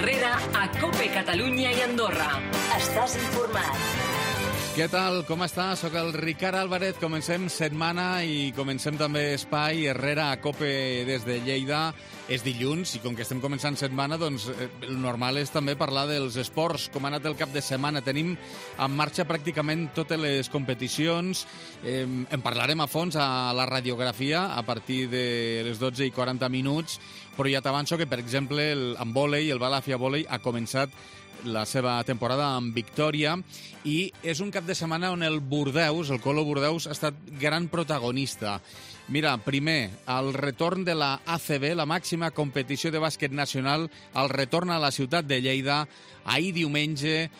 Herrera a COPE Catalunya i Andorra. Estàs informat. Què tal? Com estàs? Soc el Ricard Álvarez. Comencem setmana i comencem també espai Herrera a COPE des de Lleida. És dilluns i com que estem començant setmana, doncs el normal és també parlar dels esports, com ha anat el cap de setmana. Tenim en marxa pràcticament totes les competicions. En parlarem a fons a la radiografia a partir de les 12:40, però ja t'avanço que, per exemple, en vòlei, el Balàfia Vòlei ha començat la seva temporada amb victòria i és un cap de setmana on el Bordeus, el Colo Bordeus, ha estat gran protagonista. Mira, primer, el retorn de la ACB, la màxima competició de bàsquet nacional, el retorn a la ciutat de Lleida, ahir diumenge,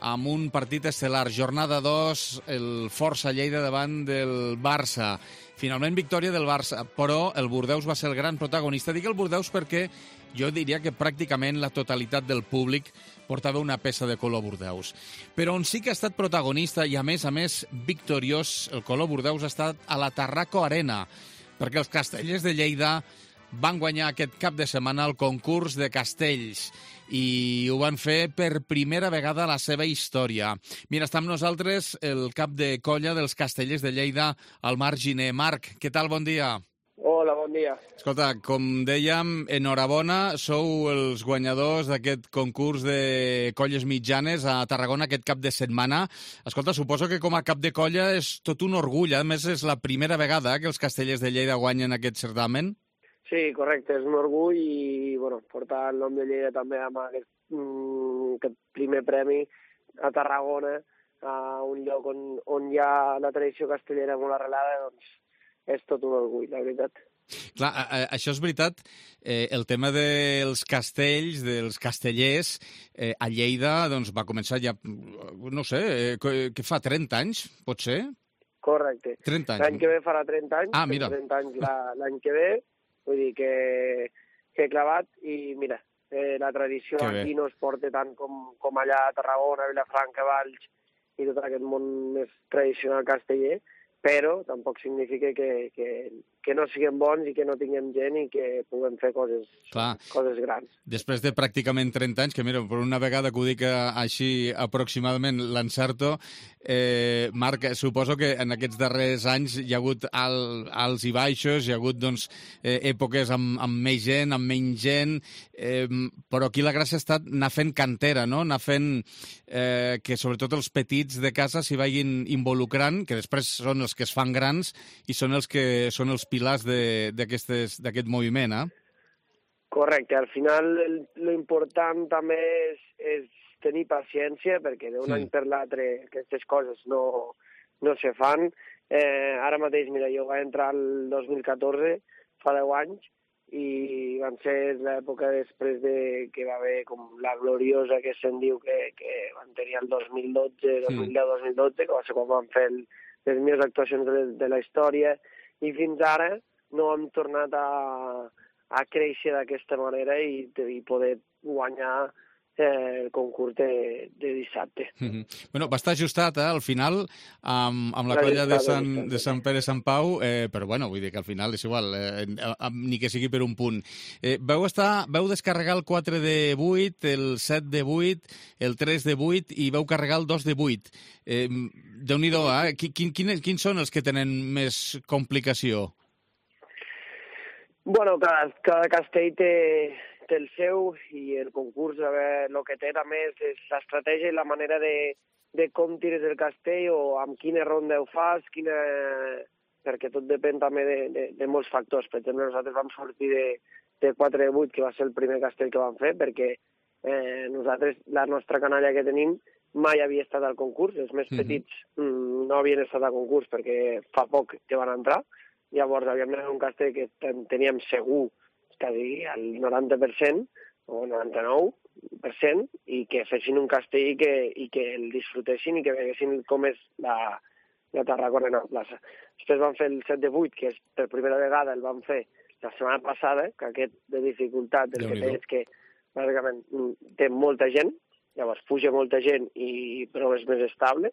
amb un partit estel·lar. Jornada 2, el Força Lleida davant del Barça. Finalment, victòria del Barça, però el Bordeus va ser el gran protagonista. Dic el Bordeus perquè jo diria que pràcticament la totalitat del públic portava una peça de color Bordeus. Però on sí que ha estat protagonista i, a més victoriós, el color Bordeus ha estat a la Tarraco Arena, perquè els castellers de Lleida van guanyar aquest cap de setmana el concurs de castells i ho van fer per primera vegada a la seva història. Mira, està amb nosaltres el cap de colla dels castellers de Lleida, el Marc Giner. Marc, què tal? Bon dia. Hola, bon dia. Escolta, com dèiem, enhorabona, sou els guanyadors d'aquest concurs de colles mitjanes a Tarragona aquest cap de setmana. Escolta, suposo que com a cap de colla és tot un orgull, a més és la primera vegada que els castellers de Lleida guanyen aquest certamen. Sí, correcte, és un orgull i portar el nom de Lleida també amb aquest primer premi a Tarragona, a un lloc on hi ha la tradició castellera molt arrelada, doncs és tot un orgull, la veritat. Clar, això és veritat. El tema dels castells, dels castellers, a Lleida doncs, va començar ja, no sé, què fa, 30 anys, pot ser? Correcte. 30 anys. L'any que ve farà 30 anys. Ah, mira. 30 anys l'any que ve, vull dir que he clavat i mira, la tradició aquí no es porta tant com allà a Tarragona, Vilafranca, Valls i tot aquest món més tradicional casteller, però tampoc significa que no siguem bons i que no tinguem gent i que puguem fer coses grans. Després de pràcticament 30 anys, que mira, per una vegada que ho dic així aproximadament l'encerto, Marc, suposo que en aquests darrers anys hi ha hagut alts i baixos, hi ha hagut doncs, èpoques amb més gent, amb menys gent, però aquí la gràcia ha estat anar fent cantera, no? Anar fent que sobretot els petits de casa s'hi vagin involucrant, que després són els que es fan grans i són els que són els pilars d'aquest moviment, eh? Correcte. Al final, l'important també és tenir paciència, perquè d'un any per l'altre aquestes coses no se fan. Ara mateix, mira, jo vaig entrar el 2014, fa 10 anys, i van ser l'època després de que va haver com la gloriosa que se'n diu que van tenir el 2010-2012, que va ser quan van fer les millors actuacions de la història, i fins ara no hem tornat a créixer d'aquesta manera i poder guanyar el concurs de dissabte. Bueno, va estar ajustat, al final, amb la colla de Sant Pere Sant Pau, però bueno, vull dir que al final és igual, ni que sigui per un punt. Veu descarregar el 4 de 8, el 7 de 8, el 3 de 8 i veu carregar el 2 de 8. Déu-n'hi-do, quins són els que tenen més complicació? Bueno, cada castell té el seu i el concurs, el que té també és l'estratègia i la manera de com tires el castell o amb quina ronda ho fas, perquè tot depèn també de molts factors. Per exemple, nosaltres vam sortir de 4 de 8, que va ser el primer castell que vam fer, perquè nosaltres, la nostra canalla que tenim, mai havia estat al concurs. Els més petits no havien estat al concurs perquè fa poc que van entrar. Llavors havíem d'anar un castell que teníem segur quasi el 90% o 99% i que fessin un castell i que el disfrutessin i que veguessin com és la Tarragona en la plaça. Després vam fer el 7 de 8, que és per primera vegada el vam fer la setmana passada, que aquest de dificultat el que té és que bàsicament té molta gent, llavors puja molta gent però és més estable.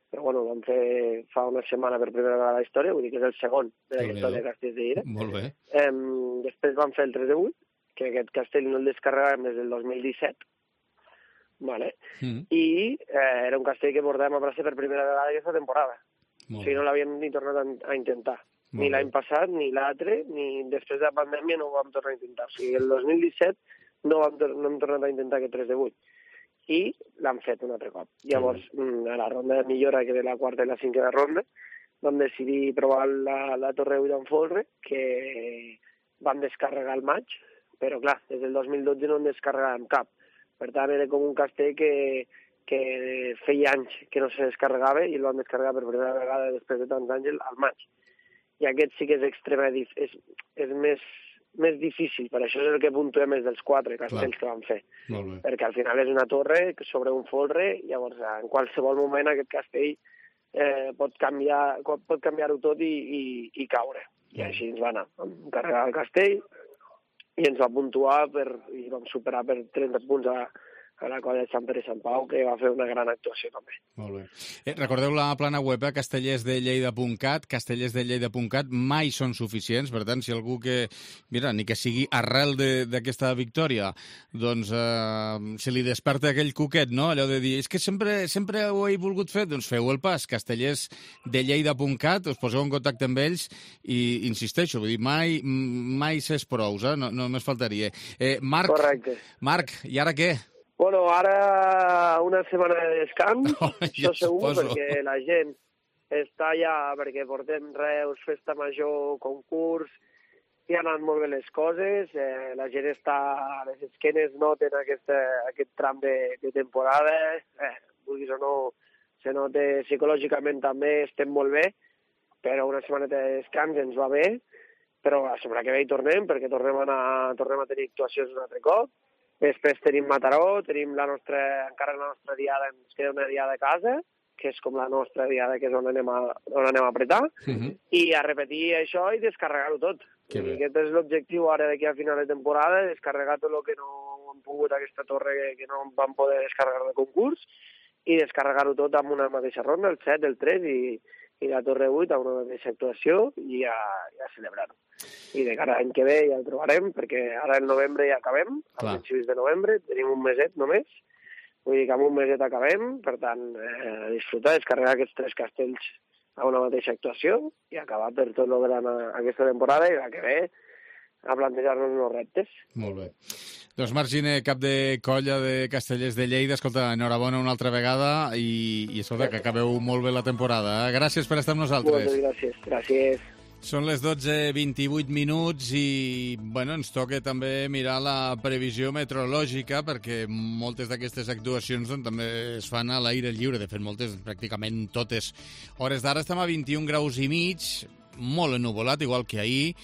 Però bueno, vam fer fa una setmana per primera vegada la història, vull dir que és el segon de la història de Castells de Lleida. Molt bé. Després vam fer el 3 de 8, que aquest castell no el descarregàvem des del 2017, vale? I era un castell que portàvem a braça per primera vegada aquesta temporada. O sigui, no l'havíem ni tornat a intentar. Ni l'any passat, ni l'altre, ni després de la pandèmia no ho vam tornar a intentar. O sigui, el 2017 no hem tornat a intentar aquest 3 de 8. I l'han fet un altre cop. Llavors, a la ronda de millora, que era la quarta i la cinquena ronda, vam decidir provar la Torre 8 en folre, que vam descarregar al maig, però clar, des del 2012 no en descarregàvem cap. Per tant, era com un castell que feia anys que no se descarregava i el vam descarregar per primera vegada després de tants anys al maig. I aquest sí que és és més difícil, per això és el que puntuem més dels 4 castells que vam fer. Perquè al final és una torre sobre un folre, llavors en qualsevol moment aquest castell pot canviar-ho tot i caure. I així ens va anar. Vam carregar el castell i ens va puntuar i vam superar per 30 punts a la colla de Sant Pere i Sant Pau, que va fer una gran actuació també. Molt bé. Recordeu la plana web castellersdelleida.cat. Castellersdelleida.cat mai són suficients, per tant, si algú que, mira, ni que sigui arrel d'aquesta victòria, doncs se li desperta aquell cuquet, no? Allò de dir, és que sempre ho he volgut fer, doncs feu el pas, castellersdelleida.cat, us poseu en contacte amb ells i insisteixo, vull dir, mai s'és prous, no només faltaria. Correcte. Marc, i ara què? Bueno, ara una setmana de descans, això segur, perquè la gent està ja, perquè portem Reus, festa major, concurs, i han anat molt bé les coses, la gent està a les esquenes, noten aquest tram de temporada, vulguis o no, se nota psicològicament també, estem molt bé, però una setmaneta de descans ens va bé, però la setmana que ve hi tornem, perquè tornem a tenir actuacions un altre cop. Després tenim Mataró, tenim encara la nostra diada, ens queda una diada a casa, que és com la nostra diada, que és on anem a apretar, i a repetir això i descarregar-ho tot. I aquest és l'objectiu ara d'aquí a final de temporada, descarregar tot el que no hem pogut aquesta torre que no vam poder descarregar de concurs, i descarregar-ho tot amb una mateixa ronda, el 7, el 3 i la Torre 8 a una mateixa actuació i a celebrar-ho. I de cara a l'any que ve ja el trobarem, perquè ara en novembre ja acabem, a principis de novembre, tenim un meset només, vull dir que amb un meset acabem, per tant, disfrutar, descarregar aquests 3 castells a una mateixa actuació i acabar per tot el gran aquesta temporada i la que ve a plantejar-nos uns reptes. Molt bé. Doncs Marc Giner, cap de colla de Castellers de Lleida, escolta, enhorabona una altra vegada i escolta, que acabeu molt bé la temporada. Gràcies per estar amb nosaltres. Moltes gràcies. Són les 12:28 i bueno, ens toca també mirar la previsió meteorològica perquè moltes d'aquestes actuacions doncs, també es fan a l'aire lliure, de fet moltes, pràcticament totes. Hores d'ara estem a 21 graus i mig, molt ennuvolat, igual que ahir,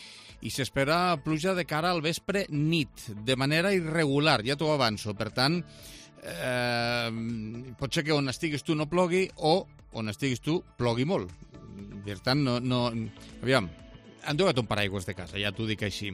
i s'espera pluja de cara al vespre nit, de manera irregular, ja t'ho avanço. Per tant, pot ser que on estiguis tu no plogui o on estiguis tu plogui molt. Per tant, aviam, enduga't un paraigües de casa, ja t'ho dic així.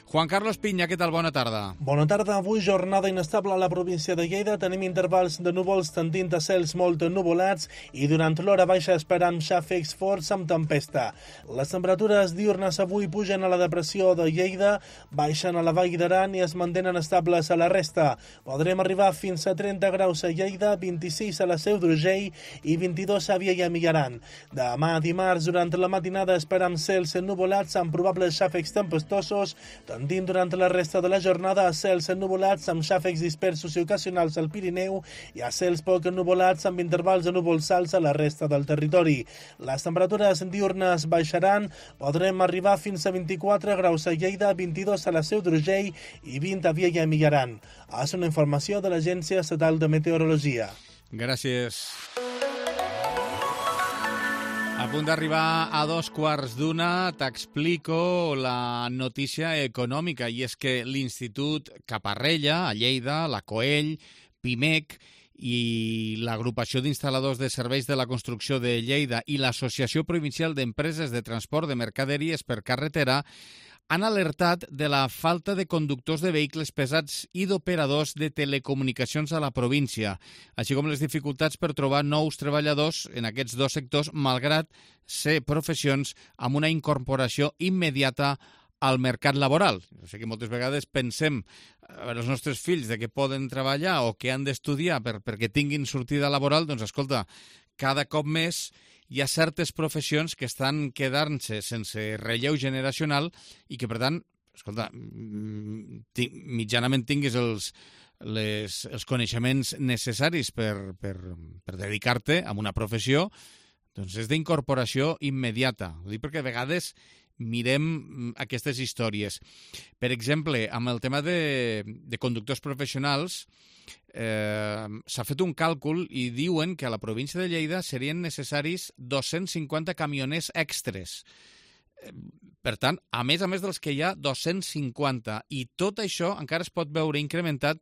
Juan Carlos Piña, què tal? Bona tarda. Bona tarda. Avui jornada inestable a la província de Lleida. Tenim intervals de núvols tendint a cels molt ennuvolats i durant l'hora baixa esperam xàfecs forts amb tempesta. Les temperatures diurnes avui pugen a la depressió de Lleida, baixen a la Vall d'Aran i es mantenen estables a la resta. Podrem arribar fins a 30 graus a Lleida, 26 a la Seu d'Urgell i 22 a Viella i Millaran. Demà dimarts, durant la matinada, esperam cels ennuvolats amb probables xàfecs tempestosos, tendint durant la resta de la jornada a cels ennuvolats amb xàfecs dispersos i ocasionals al Pirineu i a cels poc ennuvolats amb intervals de núvols alts a la resta del territori. Les temperatures diurnes baixaran, podrem arribar fins a 24 graus a Lleida, 22 a la Seu d'Urgell i 20 a Viella i Millaran. És una informació de l'Agència Estatal de Meteorologia. Gràcies. A punt d'arribar a 2:15, t'explico la notícia econòmica, i és que l'Institut Caparrella, a Lleida, la Coell, Pimec i l'Agrupació d'Instal·ladors de Serveis de la Construcció de Lleida i l'Associació Provincial d'Empreses de Transport de Mercaderies per Carretera han alertat de la falta de conductors de vehicles pesats i d'operadors de telecomunicacions a la província, així com les dificultats per trobar nous treballadors en aquests dos sectors, malgrat ser professions amb una incorporació immediata al mercat laboral. O sigui que moltes vegades pensem els nostres fills de que poden treballar o que han d'estudiar perquè tinguin sortida laboral, doncs escolta, cada cop més hi ha certes professions que estan quedant-se sense relleu generacional i que, per tant, escolta, mitjanament tinguis els coneixements necessaris per dedicar-te a una professió, doncs és d'incorporació immediata. Ho dic perquè a vegades mirem aquestes històries. Per exemple, amb el tema de conductors professionals, s'ha fet un càlcul i diuen que a la província de Lleida serien necessaris 250 camioners extres. Per tant, a més dels que hi ha, 250. I tot això encara es pot veure incrementat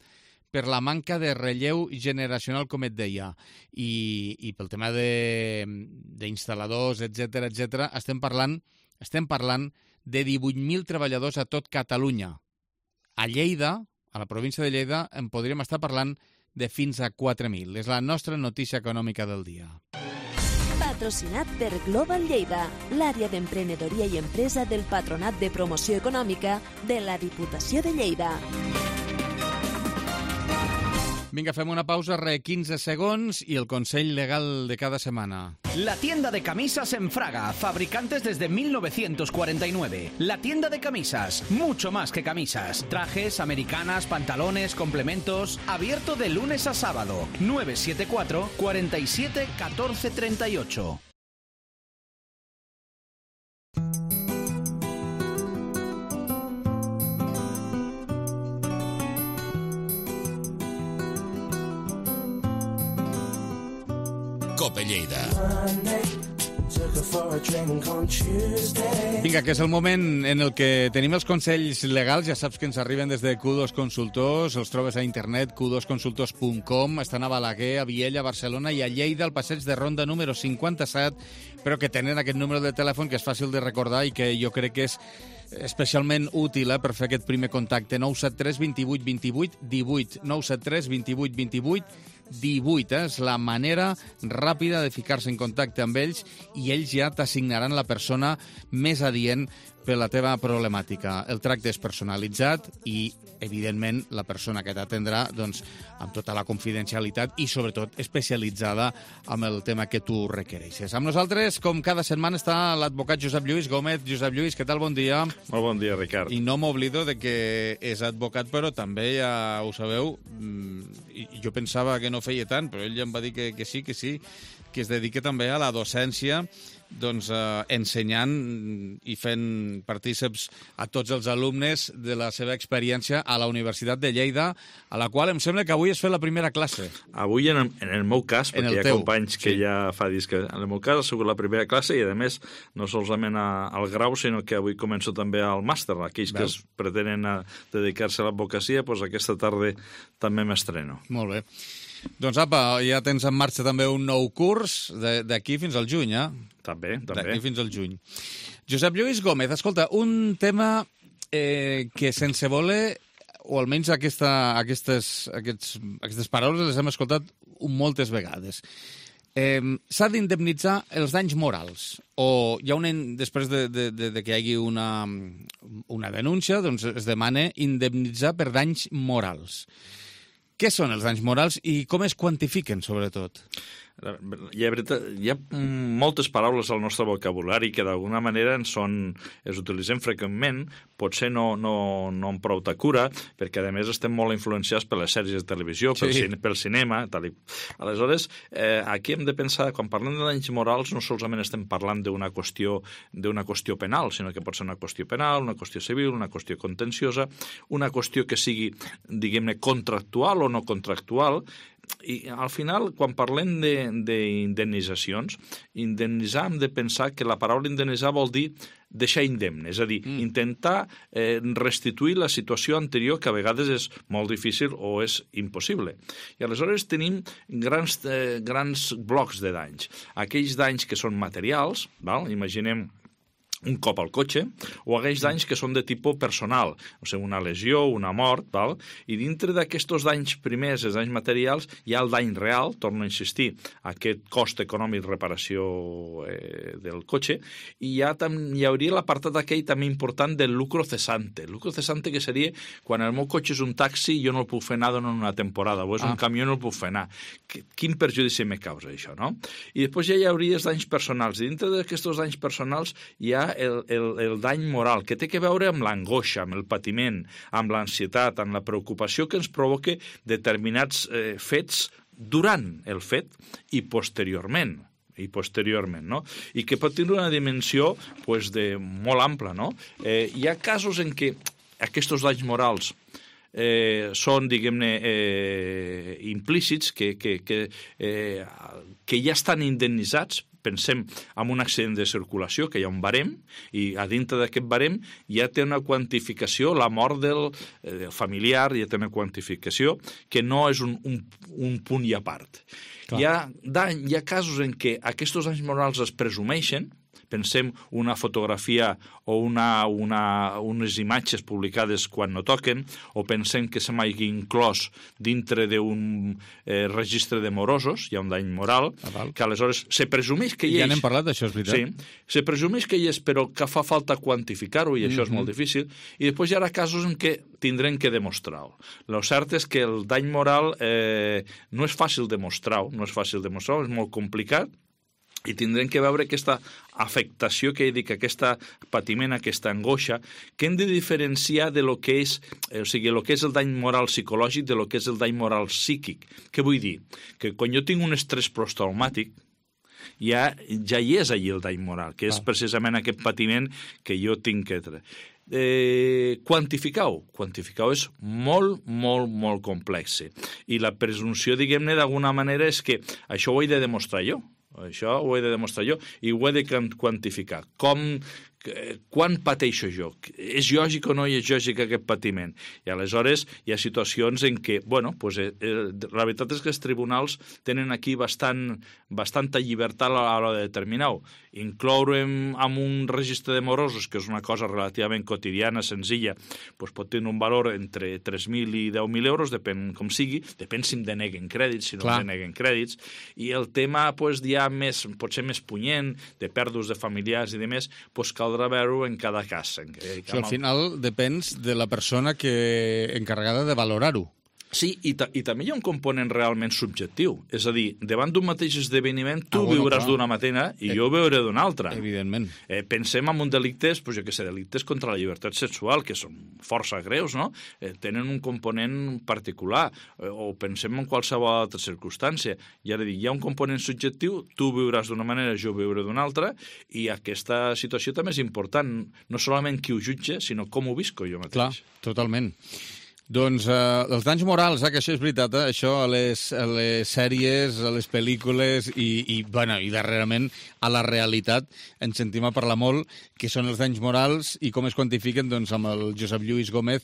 per la manca de relleu generacional, com et deia. I pel tema d'instal·ladors, etc, estem parlant de 18.000 treballadors a tot Catalunya. A Lleida, a la província de Lleida, en podríem estar parlant de fins a 4.000. És la nostra notícia econòmica del dia. Patrocinat per Global Lleida, l'àrea d'emprenedoria i empresa del Patronat de Promoció Econòmica de la Diputació de Lleida. Vinga, fem una pausa, 15 segons, i el consell legal de cada setmana. La tienda de camisas en Fraga, fabricantes desde 1949. La tienda de camisas, mucho más que camisas. Trajes, americanas, pantalones, complementos. Abierto de lunes a sábado. 974 47 14 38. Cope Lleida. Vinga, que és el moment en el que tenim els consells legals. Ja saps que ens arriben des de Q2 Consultors, els trobes a internet, q2consultors.com, estan a Balaguer, a Viella, a Barcelona i a Lleida, al passeig de Ronda número 57, però que tenen aquest número de telèfon que és fàcil de recordar i que jo crec que és especialment útil per fer aquest primer contacte. 973 28 28 18, 973 28 28 18, és la manera ràpida de ficar-se en contacte amb ells i ells ja t'assignaran la persona més adient per la teva problemàtica. El tracte és personalitzat i, evidentment, la persona que t'atendrà, doncs, amb tota la confidencialitat i, sobretot, especialitzada amb el tema que tu requereixes. Amb nosaltres, com cada setmana, està l'advocat Josep Lluís Gómez. Josep Lluís, què tal? Bon dia. Molt bon dia, Ricard. I no m'oblido de que és advocat, però també, ja ho sabeu, i jo pensava que no feia tant, però ell ja em va dir que sí, que es dedica també a la docència, doncs ensenyant i fent partíceps a tots els alumnes de la seva experiència a la Universitat de Lleida, a la qual em sembla que avui has fet la primera classe. Avui, en el meu cas, perquè hi ha companys que ja fa dies que en el meu cas ha sigut la primera classe i, a més, no solament al grau, sinó que avui començo també al màster. Aquells que es pretenen dedicar-se a l'advocacia, doncs aquesta tarda també m'estreno. Molt bé. Doncs apa, ja tens en marxa també un nou curs d'aquí fins al juny, eh? També. D'aquí fins al juny. Josep Lluís Gómez, escolta, un tema que sense voler, o almenys aquestes paraules les hem escoltat moltes vegades. S'ha d'indemnitzar els danys morals, o hi ha després de que hi hagi una denúncia, doncs es demana indemnitzar per danys morals. Què són els danys morals i com es quantifiquen, sobretot? Hi ha moltes paraules al nostre vocabulari que d'alguna manera es utilitzem freqüentment, potser no amb prou cura, perquè a més estem molt influenciats per les sèries de televisió, pel cinema, tal. Aleshores, aquí hem de pensar, quan parlem de danys morals, no solament estem parlant d'una qüestió penal, sinó que pot ser una qüestió penal, una qüestió civil, una qüestió contenciosa, una qüestió que sigui, diguem-ne, contractual o no contractual. I al final, quan parlem d'indemnitzacions, indemnitzar hem de pensar que la paraula indemnitzar vol dir deixar indemne, és a dir, intentar restituir la situació anterior, que a vegades és molt difícil o és impossible. I aleshores tenim grans blocs de danys. Aquells danys que són materials, imaginem un cop al cotxe, o aquells danys que són de tipus personal, o sigui, una lesió, una mort, val? I dintre d'aquests danys primers, els danys materials, hi ha el dany real, torno a insistir, aquest cost econòmic de reparació del cotxe, i hi hauria l'apartat aquell també important del lucro cesante. El lucro cesante que seria quan el meu cotxe és un taxi i jo no el puc fer anar durant una temporada, o és un camió i no el puc fer anar. Quin perjudici me causa això, no? I després ja hi hauria els danys personals. I dintre d'aquests danys personals hi ha el dany moral, que té que veure amb l'angoixa, amb el patiment, amb l'ansietat, amb la preocupació que ens provoca determinats fets durant el fet i posteriorment, no? I que pot tenir una dimensió pues, molt ampla, no? Hi ha casos en què aquests danys morals són, diguem-ne, implícits, que ja estan indemnitzats. Pensem en un accident de circulació, que hi ha un barem, i a dintre d'aquest barem ja té una quantificació, la mort del familiar ja té una quantificació, que no és un punt i a part. Hi ha casos en què aquests danys morals es presumeixen. Pensem una fotografia o unes imatges publicades quan no toquen, o pensem que se m'hagi inclòs dintre d'un registre de morosos, hi ha un dany moral, que aleshores se presumeix que hi és. Ja n'hem parlat d'això, és veritat. Sí, se presumeix que hi és, però que fa falta quantificar-ho, i això és molt difícil, i després hi haurà casos en què tindrem que demostrar-ho. El cert és que el dany moral no és fàcil demostrar-ho, és molt complicat, i tindrem que veure aquesta afectació que he dit, aquest patiment, aquesta angoixa, que hem de diferenciar de lo que és, o sigui, el que és el dany moral psicològic de lo que és el dany moral psíquic. Què vull dir? Que quan jo tinc un estrès posttraumàtic, ja hi és allí el dany moral, que és precisament aquest patiment que jo tinc que treure. Quantificar-ho és molt, molt, molt complex. I la presumpció, diguem-ne, d'alguna manera és que això ho he de demostrar jo. Això ho he de demostrar jo i ho he de quantificar. Quan pateixo jo? És lògic o no és lògic aquest patiment? I aleshores hi ha situacions en què, la veritat és que els tribunals tenen aquí bastanta llibertat a l'hora de determinar-ho. Incloure en un registre de morosos, que és una cosa relativament quotidiana, senzilla, pot tenir un valor entre 3.000 i 10.000 euros, depèn com sigui, depèn si em deneguen crèdits, si no em deneguen crèdits, i el tema ja potser més punyent, de pèrdues de familiars i demés, caldrà veure en cada cas. Al final depèn de la persona encarregada de valorar-ho. Sí, i també hi ha un component realment subjectiu. És a dir, davant d'un mateix esdeveniment, tu viuràs d'una manera i jo veuré d'una altra. Evidentment. Pensem en un delictes, delictes contra la llibertat sexual, que són força greus, no? Tenen un component particular. O pensem en qualsevol altra circumstància. I ara dic, hi ha un component subjectiu, tu viuràs d'una manera, jo veuré d'una altra, i aquesta situació també és important. No solament qui ho jutja, sinó com ho visco jo mateix. Clar, totalment. Doncs els danys morals, que això és veritat, això a les sèries, a les pel·lícules i darrerament a la realitat ens sentim a parlar molt que són els danys morals i com es quantifiquen, doncs amb el Josep Lluís Gómez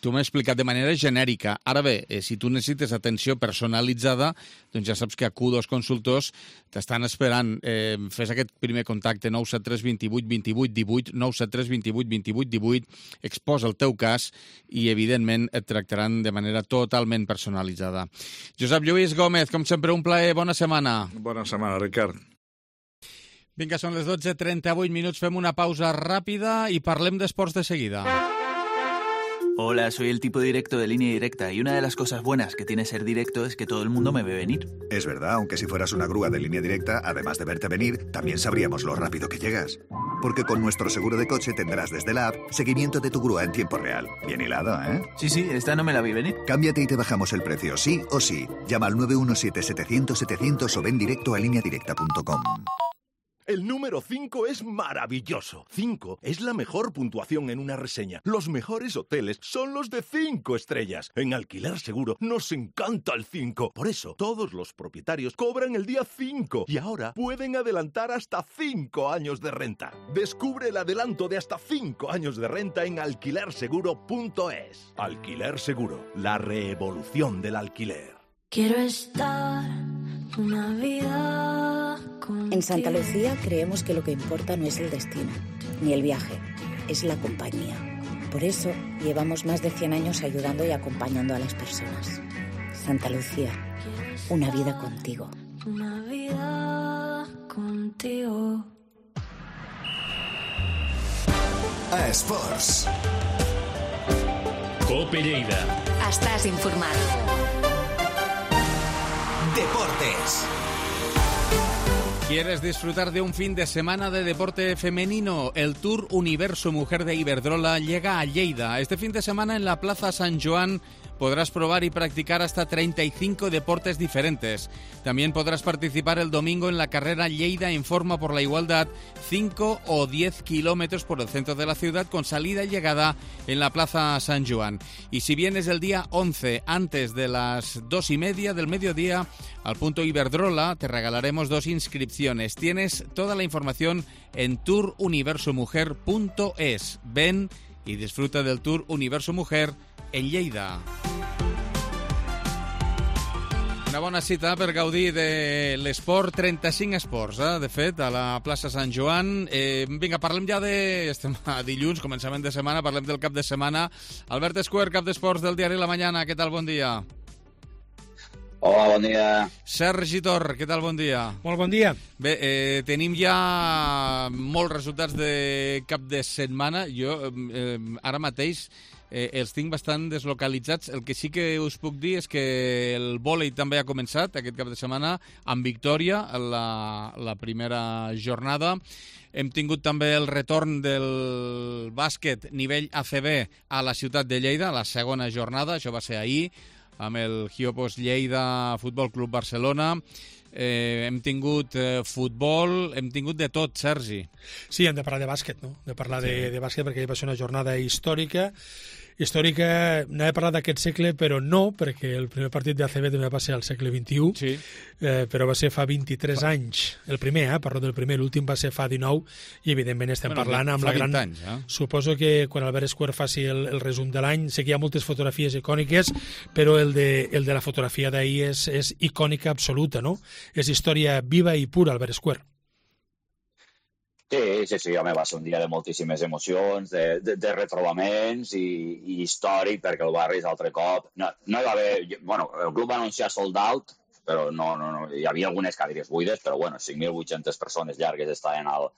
tu m'has explicat de manera genèrica. Ara bé, si tu necessites atenció personalitzada, doncs ja saps que a Q2 Consultors t'estan esperant. Fes aquest primer contacte, 973 28 28 18, 973 28 28 18, exposa el teu cas i, evidentment, et tractaran de manera totalment personalitzada. Josep Lluís Gómez, com sempre, un plaer. Bona setmana. Bona setmana, Ricard. Vinga, són les 12:38 minuts, fem una pausa ràpida i parlem d'esports de seguida. Hola, soy el tipo directo de Línea Directa y una de las cosas buenas que tiene ser directo es que todo el mundo me ve venir. Es verdad, aunque si fueras una grúa de Línea Directa, además de verte venir, también sabríamos lo rápido que llegas. Porque con nuestro seguro de coche tendrás desde la app seguimiento de tu grúa en tiempo real. Bien hilado, ¿eh? Sí, esta no me la vi venir. Cámbiate y te bajamos el precio, sí o sí. Llama al 917-700-700 o ven directo a lineadirecta.com. El número 5 es maravilloso. 5 es la mejor puntuación en una reseña. Los mejores hoteles son los de 5 estrellas. En Alquiler Seguro nos encanta el 5. Por eso, todos los propietarios cobran el día 5 y ahora pueden adelantar hasta 5 años de renta. Descubre el adelanto de hasta 5 años de renta en alquilerseguro.es. Alquiler Seguro, la revolución del alquiler. Quiero estar una vida En Santa Lucía creemos que lo que importa no es el destino, ni el viaje, es la compañía. Por eso llevamos más de 100 años ayudando y acompañando a las personas. Santa Lucía, una vida contigo. Una vida contigo. A Esports. Cope Lleida. Estàs informat. Deportes. ¿Quieres disfrutar de un fin de semana de deporte femenino? El Tour Universo Mujer de Iberdrola llega a Lleida. Este fin de semana en la Plaza San Joan podrás probar y practicar hasta 35 deportes diferentes. También podrás participar el domingo en la carrera Lleida en Forma por la Igualdad, 5 o 10 kilómetros por el centro de la ciudad con salida y llegada en la Plaza San Joan. Y si vienes el día 11 antes de las 2:30 del mediodía al punto Iberdrola, te regalaremos 2 inscripciones. Tienes toda la información en touruniversomujer.es. Ven y disfruta del Tour Universo Mujer en Lleida. Una bona cita per gaudir de l'esport, 35 esports, de fet, a la plaça Sant Joan. Vinga, parlem ja de... Estem a dilluns, començament de setmana, parlem del cap de setmana. Albert Escuer, cap d'esports del diari La Mañana, què tal? Bon dia. Hola, bon dia. Sergi Tor, què tal? Bon dia. Molt bon dia. Bé, tenim ja molts resultats de cap de setmana. Jo ara mateix els tinc bastant deslocalitzats. El que sí que us puc dir és que el vòlei també ha començat aquest cap de setmana amb victòria la primera jornada. Hem tingut també el retorn del bàsquet nivell ACB a la ciutat de Lleida, la segona jornada, això va ser ahir, amb el Giopos Lleida Futbol Club Barcelona. Hem tingut futbol, hem tingut de tot, Sergi. Sí, hem de parlar de bàsquet, no? De parlar de bàsquet perquè va ser una jornada històrica, anava a parlar d'aquest segle, però no, perquè el primer partit d'ACB també va ser al segle XXI, sí. Però va ser fa 23 anys. El primer, parlo del primer, l'últim va ser fa 19, i evidentment estem parlant amb la gran... Anys, Suposo que quan Albert Escuer faci el resum de l'any, sé que hi ha moltes fotografies icòniques, però el de la fotografia d'ahir és icònica absoluta, no? És història viva i pura, Albert Escuer. Sí, home, va ser un dia de moltíssimes emocions, de retrobaments i històric, perquè el barri és altre cop. No hi va haver... Bueno, el club va anunciar sold out, però no, hi havia algunes cadires buides, però bueno, 5.800 persones llargues estaven al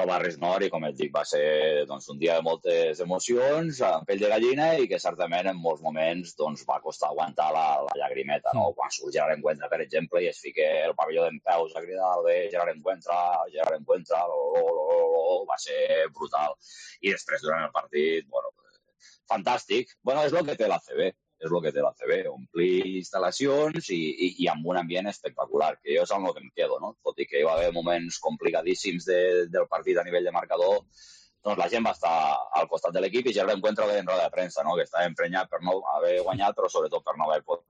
Barris Nord i, com et dic, va ser un dia de moltes emocions, amb pell de gallina i que certament en molts moments va costar aguantar la llagrimeta, no? Quan surt Gerard Encuentra, per exemple, i es fica el pavelló d'empeus a cridar Gerard Encuentra, va ser brutal. I després, durant el partit, bueno, fantàstic. Bueno, és el que té l'ACB. Omplir instal·lacions i amb un ambient espectacular, que jo és amb el que em quedo, no? Tot i que hi va haver moments complicadíssims del partit a nivell de marcador, doncs la gent va estar al costat de l'equip i ja l'encuentro en roda de premsa, no? Que estava emprenyat per no haver guanyat, però sobretot per no haver pogut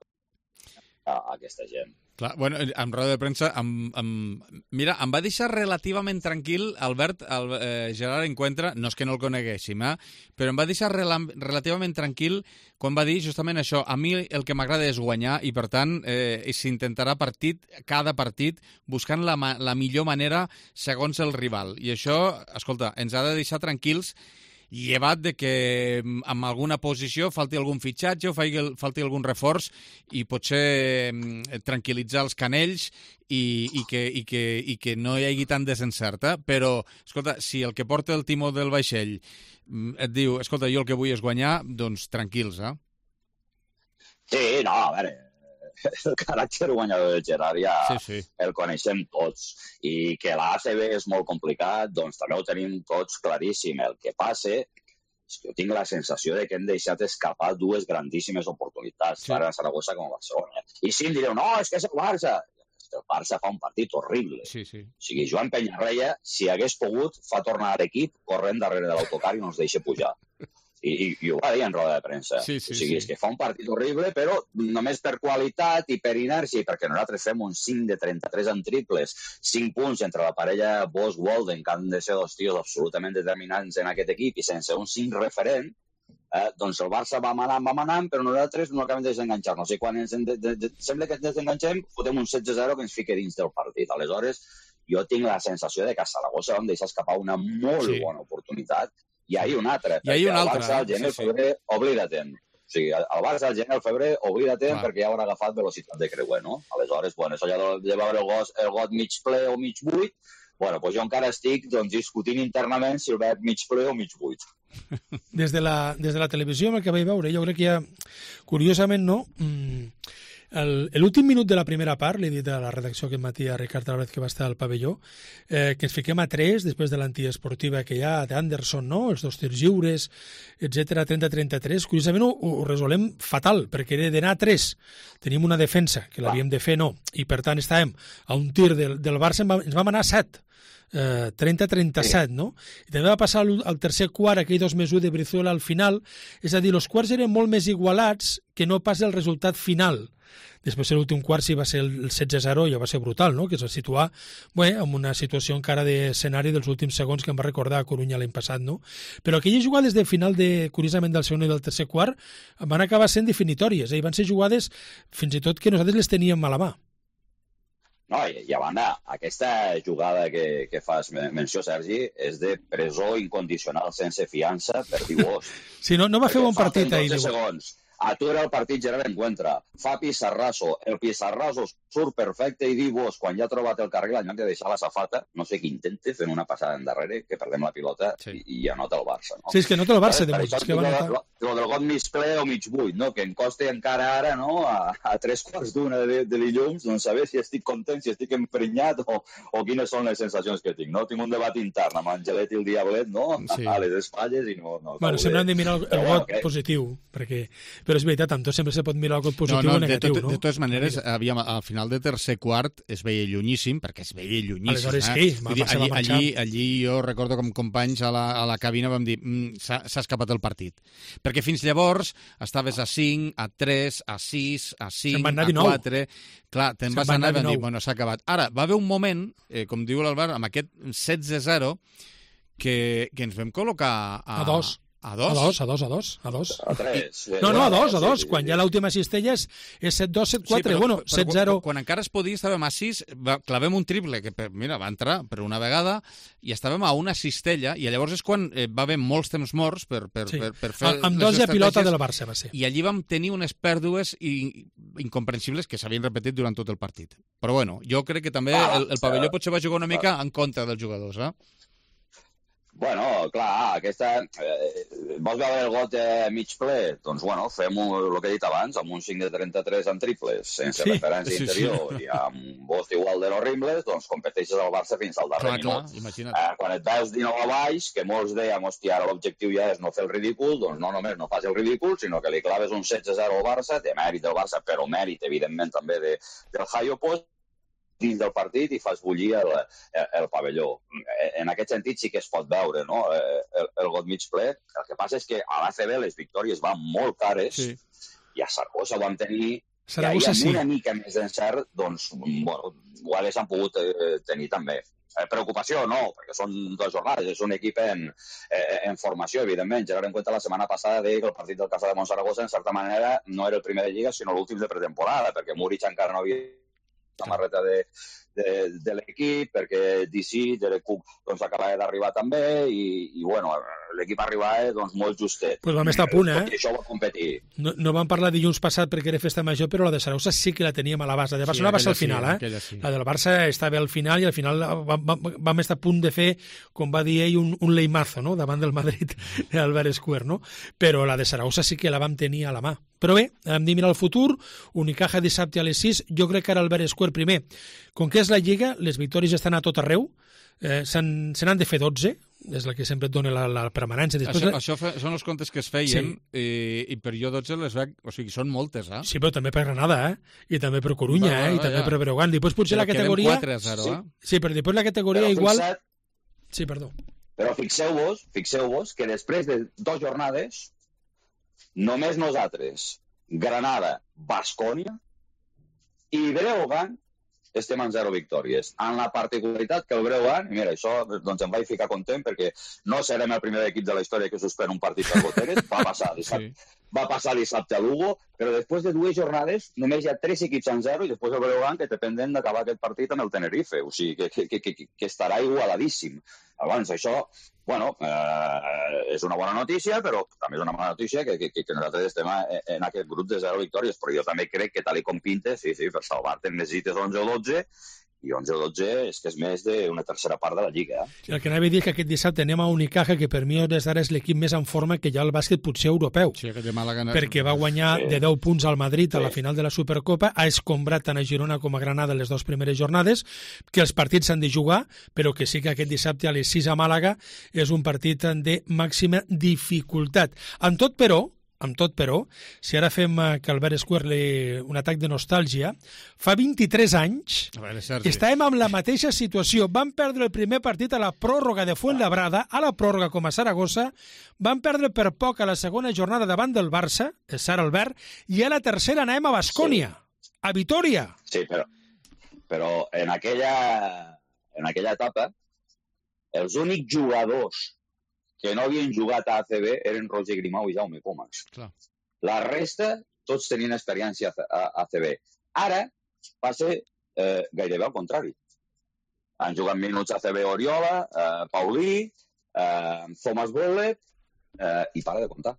a aquesta gent. Clar, bueno, en roda de premsa, mira, em va deixar relativament tranquil, Albert, Gerard Encuentra, no és que no el coneguéssim, però em va deixar relativament tranquil quan va dir justament això. A mi el que m'agrada és guanyar i, per tant, s'intentarà cada partit buscant la millor manera segons el rival. I això, escolta, ens ha de deixar tranquils, llevat de que en alguna posició falti algun fitxatge o falti algun reforç i potser tranquil·litzar els canells i que no hi hagi tant desencert. Però, escolta, si el que porta el timó del vaixell et diu, escolta, jo el que vull és guanyar, doncs tranquils, Sí, no, a veure, el caràcter guanyador del Gerard ja el coneixem tots, i que l'ACB és molt complicat, doncs també ho tenim tots claríssim. El que passa és que jo tinc la sensació de que hem deixat escapar 2 grandíssimes oportunitats, tant a Saragossa com a Barcelona. I sí, em direu, no, és que és el Barça. El Barça fa un partit horrible. O sigui, Joan Peñarreia, si hagués pogut, fa tornar a l'equip corrent darrere de l'autocar i no ens deixa pujar. I ho va dir en roda de premsa. O sigui, és que fa un partit horrible, però només per qualitat i per inèrcia, perquè nosaltres fem un 5 de 33 en triples, 5 punts entre la parella Bosch-Walden, que han de ser 2 tios absolutament determinants en aquest equip, i sense un 5 referent, doncs el Barça va manant, però nosaltres no acabem de desenganxar-nos. I quan sembla que ens desenganxem, fotem un 16-0 que ens fica dins del partit. Aleshores, jo tinc la sensació de que a Saragossa vam deixar escapar una molt bona oportunitat. I ahir una altra. I ahir una altra. El Barça, al gener, febrer, oblida-te'n. O sigui, el Barça, al gener, febrer, oblida-te'n perquè ja haurà agafat velocitat de creuer, no? Aleshores, bueno, això ja de veure el got mig ple o mig buit, bueno, doncs jo encara estic discutint internament si el veig mig ple o mig buit. Des de la televisió, amb el que vaig veure, jo crec que ja, curiosament, no? L'últim minut de la primera part, l'he dit a la redacció aquest matí a Ricard Álvarez, que va estar al pavelló, que ens fiquem a 3 després de l'antiesportiva que hi ha d'Anderson, no? Els 2 tirs lliures, etc 30-33. Curiosament ho resolem fatal, perquè era d'anar a 3. Tenim una defensa, que l'havíem de fer, no. I per tant estàvem a un tir del Barça, ens vam anar a 7. 30-37, no? I també va passar al tercer quart, aquell 2+1 de Brizuela al final, és a dir, els quarts eren molt més igualats que no pas el resultat final. Després l'últim quart sí va ser el 16-0, ja va ser brutal, no? Que es va situar en una situació encara d'escenari dels últims segons que em va recordar a Corunya l'any passat, no? Però aquelles jugades de final, curiosament, del segon i del tercer quart van acabar sent definitòries, i van ser jugades fins i tot que nosaltres les teníem a la mà. No, i a banda, aquesta jugada que fas menció, Sergi, és de presó incondicional sense fiança per divorç. Sí, no va fer bon partit ahir. 12 segons. Atura el partit general encuentra. Fa pissarraso. El pissarraso surt perfecte i diu-vos, quan ja ha trobat el carril, en lloc de deixar la safata, no sé què intente, fent una passada endarrere, que perdem la pilota i anota el Barça. No? Sí, és que nota el Barça, de molt. El del got mig ple o mig buit, no? Que em costa encara ara, no? A 3:15 de dilluns, doncs saber si estic content, si estic emprenyat o quines són les sensacions que tinc, no? Tinc un debat intern amb Angelet i el Diablet, no? Sí. A les espatlles i no... Bueno, sempre hem de mirar el got positiu, perquè... Però és veritat, amb tot sempre se pot mirar el got positiu o negatiu, no? De totes maneres, al final de tercer quart es veia llunyíssim, perquè es veia llunyíssim. Aleshores, sí, allí jo recordo com companys a la cabina vam dir s'ha escapat el partit. Perquè fins llavors estaves a 5, a 3, a 6, a 5, a 4... Clar, te'n vas anar i vam dir, bueno, s'ha acabat. Ara, va haver un moment, com diu l'Albert, amb aquest 16-0, que ens vam col·locar a 2. A 2. A 3. No, a 2. Quan ja l'última cistella és 7-2, 7-4. Bueno, 7-0. Quan encara es podia, estàvem a 6, clavem un triple, que mira, va entrar per una vegada, i estàvem a una cistella, i llavors és quan va haver molts temps morts per fer... Amb 2 a pilota del Barça va ser. I allí vam tenir unes pèrdues incomprensibles que s'havien repetit durant tot el partit. Però bueno, jo crec que també el pavelló potser va jugar una mica en contra dels jugadors, Bueno, clar, aquesta... vols veure el got mig ple? Doncs, bueno, fem el que he dit abans, amb un 5 de 33 en triples, sense referència interior i amb un bost igual de los Rimbles, doncs competeixes al Barça fins al darrer minut. Quan et veus 19 a baix, que molts dèiem, hòstia, ara l'objectiu ja és no fer el ridícul, doncs no només no fas el ridícul, sinó que li claves un 16-0 al Barça, de mèrit del Barça, però mèrit, evidentment, també del Hayo Post, dins del partit i fas bullir el pavelló. En aquest sentit sí que es pot veure, no? El got mig ple. El que passa és que a l'ACB les victòries van molt cares i a Saragossa vam tenir que hi ha una mica més d'encert, doncs, bueno, ho haguessin pogut tenir també. Preocupació no, perquè són 2 jornades, és un equip en formació, evidentment. Gerard en cuenta la setmana passada deia que el partit del Casa de Montsaragossa, en certa manera, no era el primer de Lliga, sinó l'últim de pretemporada, perquè Múrich encara no havia samarreta de l'equip, perquè DC, Derek Cook, doncs acabava d'arribar també i bueno, l'equip arribava doncs molt justet. Pues vam estar a punt, I això va competir. No vam parlar dilluns passat perquè era festa major, però la de Saragossa sí que la teníem a la base. La de Barcelona va ser al final, La del Barça estava al final i al final vam estar a punt de fer, com va dir ell, un leimazo, no?, davant del Madrid Albert Square, no? Però la de Saragossa sí que la vam tenir a la mà. Però bé, hem de mirar el futur, Unicaja dissabte a les 6, jo crec que ara Albert Square primer, com que és la Lliga, les victòries estan a tot arreu, se n'han de fer 12, és la que sempre et dona la permanència. Això són els comptes que es feien, i per jo 12 les veig, o sigui, són moltes, Sí, però també per Granada, i també per Corunya, i també per Breogán. Després potser la categoria... 4-0, Sí, però després la categoria igual... Sí, perdó. Però fixeu-vos que després de 2 jornades només nosaltres, Granada, Baskonia i Breogán estem en 0 victòries. En la particularitat que el Breogán, i mira, això doncs em vaig ficar content perquè no serem el primer equip de la història que suspèn un partit per goteres, va passar va passar dissabte a Lugo, però després de 2 jornades només hi ha 3 equips en 0 i després el Breogán que té pendent d'acabar aquest partit amb el Tenerife, o sigui que estarà igualadíssim. Llavors, això, bueno, és una bona notícia, però també és una mala notícia que nosaltres estem en aquest grup de 0 victòries, però jo també crec que tal com pinta, sí, per salvar-te necessites 11 o 12, i 11 o 12 és que és més d'una tercera part de la Lliga. El que anava a dir és que aquest dissabte anem a Unicaja, que per mi des d'ara és l'equip més en forma que hi ha al bàsquet potser europeu. Sí, aquest de Màlaga... Perquè va guanyar de 10 punts al Madrid a la final de la Supercopa, ha escombrat tant a Girona com a Granada les 2 primeres jornades, que els partits s'han de jugar, però que sí que aquest dissabte a les 6 a Màlaga és un partit de màxima dificultat. Amb tot, però, si ara fem que Albert Escuerle un atac de nostàlgia, fa 23 anys estàvem amb la mateixa situació. Van perdre el primer partit a la pròrroga de Fuenlabrada, a la pròrroga com a Saragossa, van perdre per poc a la segona jornada davant del Barça, el Sara Albert, i a la tercera anàvem a Baskonia, a Vitoria. Sí, però en aquella etapa, els únics jugadors que no havien jugat a ACB eren Roger Grimau i Jaume Comas. Clar. La resta, tots tenien experiència a ACB. Ara passa gairebé al contrari. Han jugat minuts a ACB Oriola, Paulí, Thomas Bollet, i para de comptar.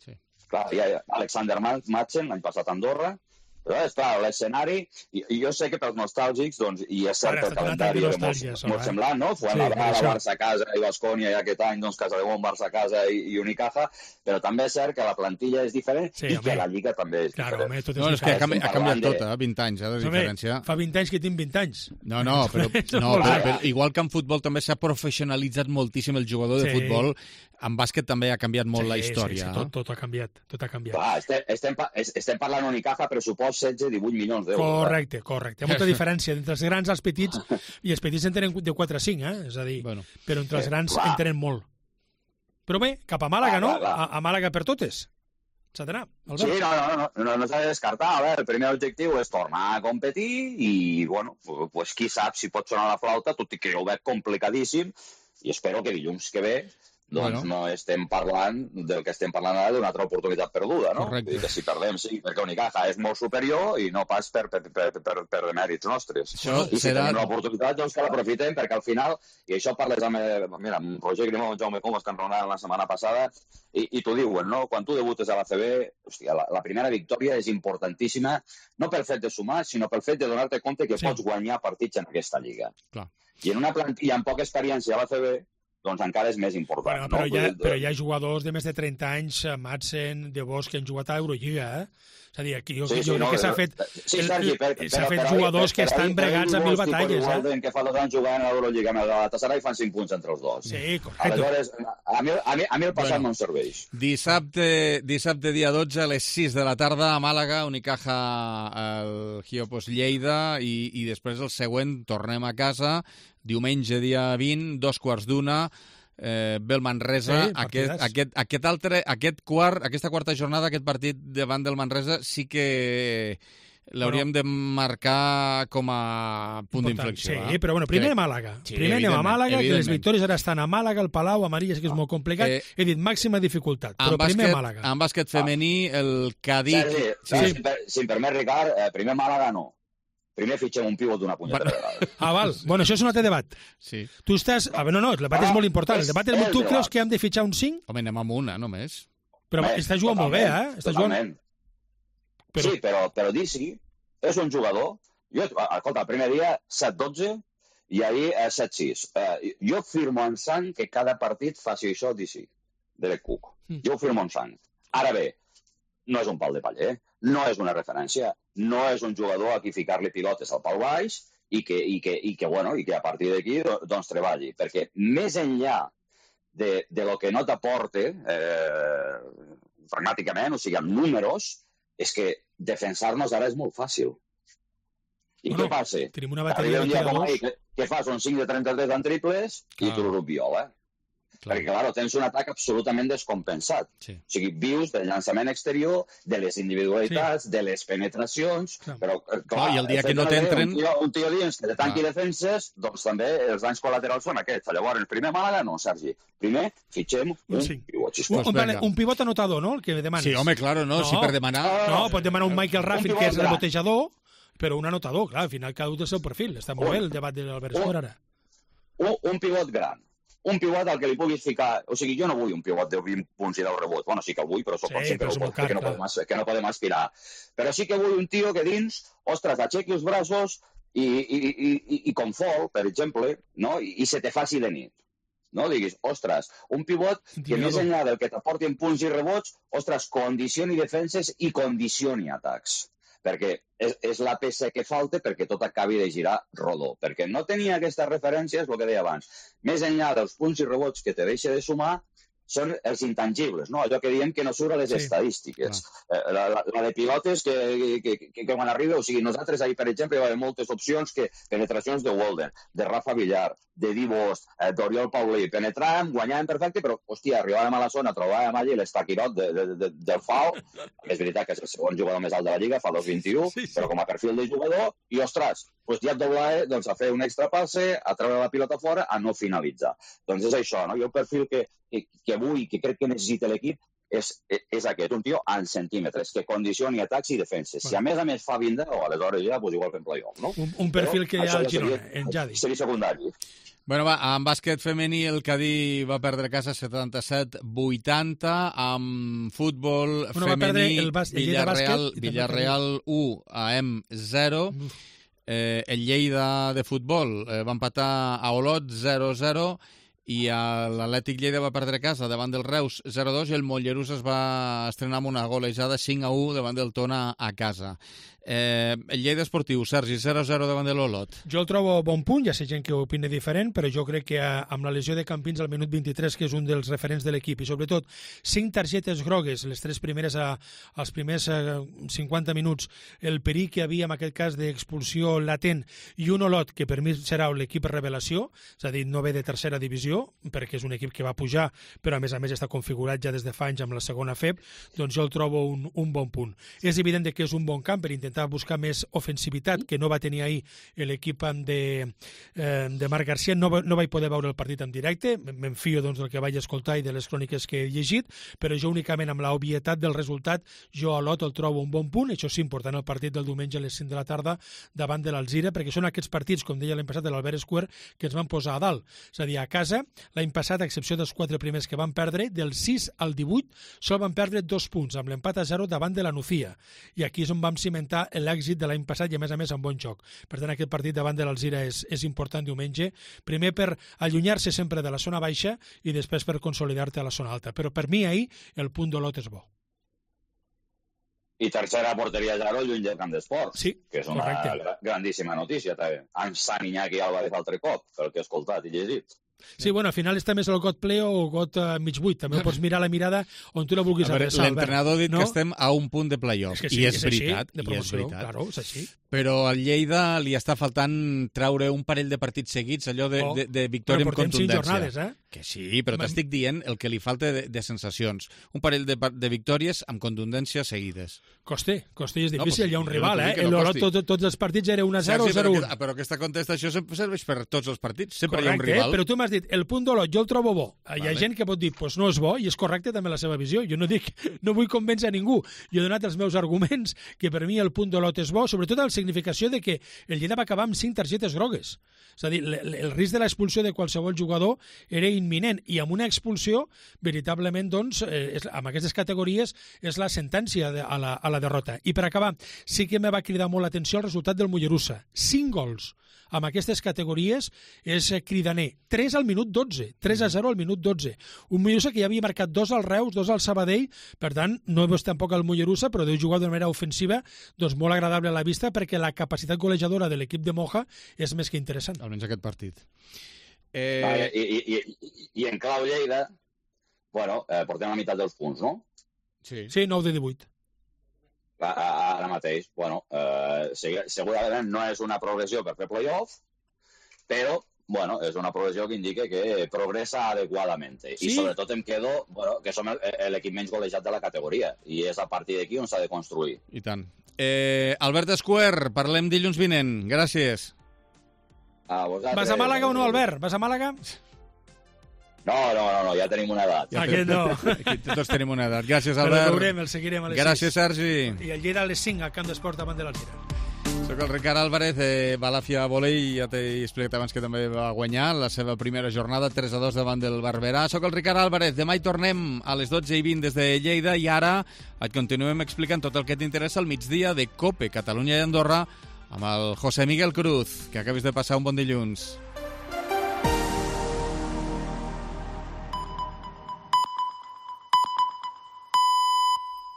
Sí. Clar, hi ha Alexander Madsen, l'any passat a Andorra, però és clar, l'escenari, i jo sé que pels nostàlgics, doncs, i és cert que el calendari era molt semblant, no? Fuenlabrada, Barça a casa i Baskonia, i aquest any, doncs, Casademont, Barça a casa i Unicaja, però també és cert que la plantilla és diferent i que la Lliga també és diferent. Home, tot és no, és que ha canviat tot, 20 anys, de diferència. Fa 20 anys que tinc 20 anys. No, però igual que en futbol també s'ha professionalitzat moltíssim el jugador de futbol, en bàsquet també ha canviat molt la història. Sí, tot ha canviat. Clar, estem parlant Unicaja, pressupost 16-18 milions d'euros. Correcte. Hi ha molta diferència entre els grans i els petits, i els petits en tenen de 4 a 5, és a dir, però entre els grans en tenen molt. Però bé, cap a Màlaga, no? A Màlaga per totes. S'ha d'anar, Albert. Sí, no s'ha de descartar. A veure, el primer objectiu és tornar a competir i, bueno, pues qui sap si pot sonar la flauta, tot i que ho veig complicadíssim, i espero que dilluns que ve doncs no estem parlant del que estem parlant ara d'una altra oportunitat perduda, no? Correcte. Que si perdem, sí, perquè Unicaja és molt superior i no pas per demèrits nostres. I si tenim l'oportunitat, doncs que l'aprofitem, perquè al final, i això parles amb Roger Grimau i Jaume Comas, que enraonaven la setmana passada, i t'ho diuen, no? Quan tu debutes a l'ACB, hòstia, la primera victòria és importantíssima, no pel fet de sumar, sinó pel fet de donar-te compte que pots guanyar partits en aquesta lliga. Clar. I en una plantilla amb poca experiència a l'ACB, doncs encara és més important. Bueno, però hi ha jugadors de més de 30 anys, Madsen, De Bosch, que han jugat a l'Eurolliga, És a dir, aquí jo crec que s'ha fet... Sí, Sergi, s'ha fet jugadors que estan bregats a 1000 batalles, que fa 2 anys jugant a l'Eurolliga amb el Galatasaray i fan 5 punts entre els dos. Sí, correcte. Aleshores, a mi el passat no em serveix. Dissabte dia 12 a les 6 de la tarda a Màlaga, Unicaja al Giopos Lleida i després el següent tornem a casa, diumenge dia 20, 2:15, ve el Manresa. Aquesta quarta jornada, aquest partit davant del Manresa sí que l'hauríem de marcar com a punt d'inflexió. Sí, però bueno, primer a Màlaga. Primer anem a Màlaga, que les victòries ara estan a Màlaga, al Palau, a Maria, que és molt complicat. He dit màxima dificultat, però primer a Màlaga. En bàsquet femení, el Cadí... Si em permet, Ricard, primer Màlaga no. Primer fitxem un pivot d'una punyetera vegada. Val. Bueno, això és un altre debat. Sí. Tu estàs... No, el debat és molt important. El debat és... Tu creus que hem de fitxar un 5? Home, anem amb una, només. Però està jugant molt bé, Està jugant... Sí, però Disi és un jugador... Escolta, el primer dia 7-12 i ahir 7-6. Jo firmo en sang que cada partit faci això Disi, Derek Cook. Jo ho firmo en sang. Ara bé, no és un pal de paller, no és una referència, no és un jugador a qui ficar-li pilotes al pal baix i que a partir d'aquí doncs treballi. Perquè més enllà de lo que no t'aporte pragmàticament, o sigui, amb números, és que defensar-nos ara és molt fàcil. I què passa? Tenim una bateria de tiradors. Que fas un 5 de 33 en triples i tu viola. Perquè, clar, tens un atac absolutament descompensat. O sigui, vius del llançament exterior, de les individualitats, de les penetracions, però, clar, i el dia que no t'entren... Un tio dins que te tanqui defenses, doncs també els danys col·laterals són aquests. Llavors, primer Màlaga, no, Sergi. Primer, fitxem un pivot, sisplau. Un pivot anotador, no?, el que demanes. Sí, home, claro, no, si per demanar... No, pot demanar un Michael Raffin, que és rebotejador, però un anotador, clar, al final cada un del seu perfil. Està molt bé el debat de l'Albert Esport, ara. Un pivot gran. Un pivot al que li puguis ficar... O sigui, jo no vull un pivot de 20 punts i 10 rebots. Bueno, sí que el vull, però soc conscient que no podem aspirar. Però sí que vull un tio que dins, ostres, aixequi els braços i com Fall, per exemple, no? I se te faci de nit. No? Diguis, ostres, un pivot que més enllà del que t'aporti en punts i rebots, ostres, condicioni defenses i condicioni atacs. Perquè és la peça que falta perquè tot acabi de girar rodó. Perquè no tenia aquestes referències, el que deia abans. Més enllà dels punts i rebots que te deixa de sumar, són els intangibles, no? Allò que diem que no surt a les estadístiques. La de pilotes que quan arriba, o sigui, nosaltres ahir, per exemple, hi va haver moltes opcions que penetracions de Walden, de Rafa Villar, de Dibost, d'Oriol Paulí, penetràvem, guanyàvem perfecte, però, hòstia, arribàvem a la zona, trobàvem allà l'estaquirot del FAO, que és veritat que és el segon jugador més alt de la Lliga, fa 2-21, però com a perfil de jugador, i, ostres, ja et doblava a fer un extra passe, a treure la pilota fora, a no finalitzar. Doncs és això, no? Jo el perfil que vull, que crec que necessita l'equip, és aquest, un tio en centímetres, que condicioni atacs i defenses. Si a més fa 20, aleshores ja, igual fem play-off, no? Un perfil que hi ha al Girona, en Jadi. Seria secundari. Bueno, va, en bàsquet femení el Cadí va perdre a casa 77-80, amb futbol femení Villarreal 1, AM 0, el Lleida de futbol va empatar a Olot 0-0, i l'Atlètic Lleida va perdre a casa davant del Reus 0-2 i el Mollerussa es va estrenar amb una golejada 5-1 davant del Tona a casa. El Lleida Esportiu, Sergi, 0-0 davant de l'Olot. Jo el trobo bon punt, ja sé gent que opina diferent, però jo crec que amb la lesió de Campins al minut 23, que és un dels referents de l'equip, i sobretot 5 targetes grogues, les 3 primeres als primers 50 minuts, el perill que hi havia en aquest cas d'expulsió latent, i un Olot que per mi serà l'equip revelació, és a dir, no ve de tercera divisió, perquè és un equip que va pujar, però a més està configurat ja des de fa anys amb la segona FEB, doncs jo el trobo un bon punt. És evident que és un bon camp per intentar buscar més ofensivitat, que no va tenir ahir l'equip de Marc Garcia. No vaig poder veure el partit en directe, m'enfio del que vaig escoltar i de les cròniques que he llegit, però jo únicament amb l'obvietat del resultat, jo a Lot el trobo un bon punt. Això és important, el partit del diumenge a les 5 de la tarda davant de l'Alzira, perquè són aquests partits, com deia l'any passat de l'Albert Square, que ens van posar a dalt. És a dir, a casa, l'any passat, a excepció dels 4 primers que van perdre, del 6 al 18, sol van perdre 2 punts, amb l'empat a 0 davant de la Nucía. I aquí és on vam cimentar l'èxit de l'any passat i a més amb bon joc. Per tant, aquest partit davant de l'Alzira és important diumenge, primer per allunyar-se sempre de la zona baixa i després per consolidar-te a la zona alta. Però per mi ahir el punt d'Olot és bo. I tercera porteria Jaro, lluny del camp d'esport, que és una grandíssima notícia també. En Sant Iñaki Álvarez altre cop, pel que he escoltat i llegit. Sí, bueno, al final està més el got ple o got mig buit. També ho pots mirar la mirada on tu la vulguis adreçar. L'entrenador ha dit que estem a un punt de playoff. I és veritat. De promoció, claro, és així. Però al Lleida li està faltant treure un parell de partits seguits, allò de victòria amb contundència. Però portem 5 jornades, Que sí, però t'estic dient el que li falta de sensacions. Un parell de victòries amb contundència seguides. Costa, i és difícil, hi ha un rival, L'Olot tots els partits era 1-0 o 0-1. Però aquesta contestació serveix per tots els partits, sempre hi ha un rival. Però tu m'has dit, el punt d'Olot jo el trobo bo. Hi ha gent que pot dir, doncs no és bo, i és correcte també la seva visió. Jo no vull convèncer a ningú. Jo he donat els meus arguments, que per mi el punt d'Olot és bo, sobretot la significació de que el Lleida va acabar amb 5 targetes grogues. És a dir, el risc de l'expulsió de qualsevol jugador era imminent, i amb una expulsió, veritablement, doncs, amb aquestes categories, és la sentència a la derrota. I per acabar, sí que me va cridar molt l'atenció el resultat del Mollerussa. 5 gols amb aquestes categories és cridaner. 3 al minut 12, 3-0 al minut 12. Un Mollerussa que ja havia marcat 2 al Reus, 2 al Sabadell, per tant, no he vist tampoc el Mollerussa, però deu jugar d'una manera ofensiva, doncs molt agradable a la vista, perquè la capacitat golejadora de l'equip de Moja és més que interessant. Almenys aquest partit. I en clau Lleida, bueno, portem la meitat dels punts, no? Sí, 9 de 18. Ara mateix, bueno, segurament no és una progressió per fer play-off, però, bueno, és una progressió que indica que progressa adequadament. Sí? I sobretot em quedo que som l'equip menys golejat de la categoria i és a partir d'aquí on s'ha de construir. I tant. Albert Escuer, parlem dilluns vinent. Gràcies. A vosaltres. Vas a Màlaga o no, Albert? Vas a Màlaga? No, ja tenim una edat. Aquest no. Aquí tots tenim una edat. Gràcies, Albert. El veurem, el seguirem a les 6. Gràcies, Sergi. I el Lleida a les 5 al Camp d'Esports davant de l'Alzira. Soc el Ricard Álvarez, Balàfia Volei, ja t'he explicat abans que també va guanyar la seva primera jornada, 3-2 davant del Barberà. Soc el Ricard Álvarez, demà hi tornem a les 12:20 des de Lleida i ara et continuem explicant tot el que t'interessa al migdia de COPE, Catalunya i Andorra, amb el José Miguel Cruz. Que acabis de passar un bon dilluns.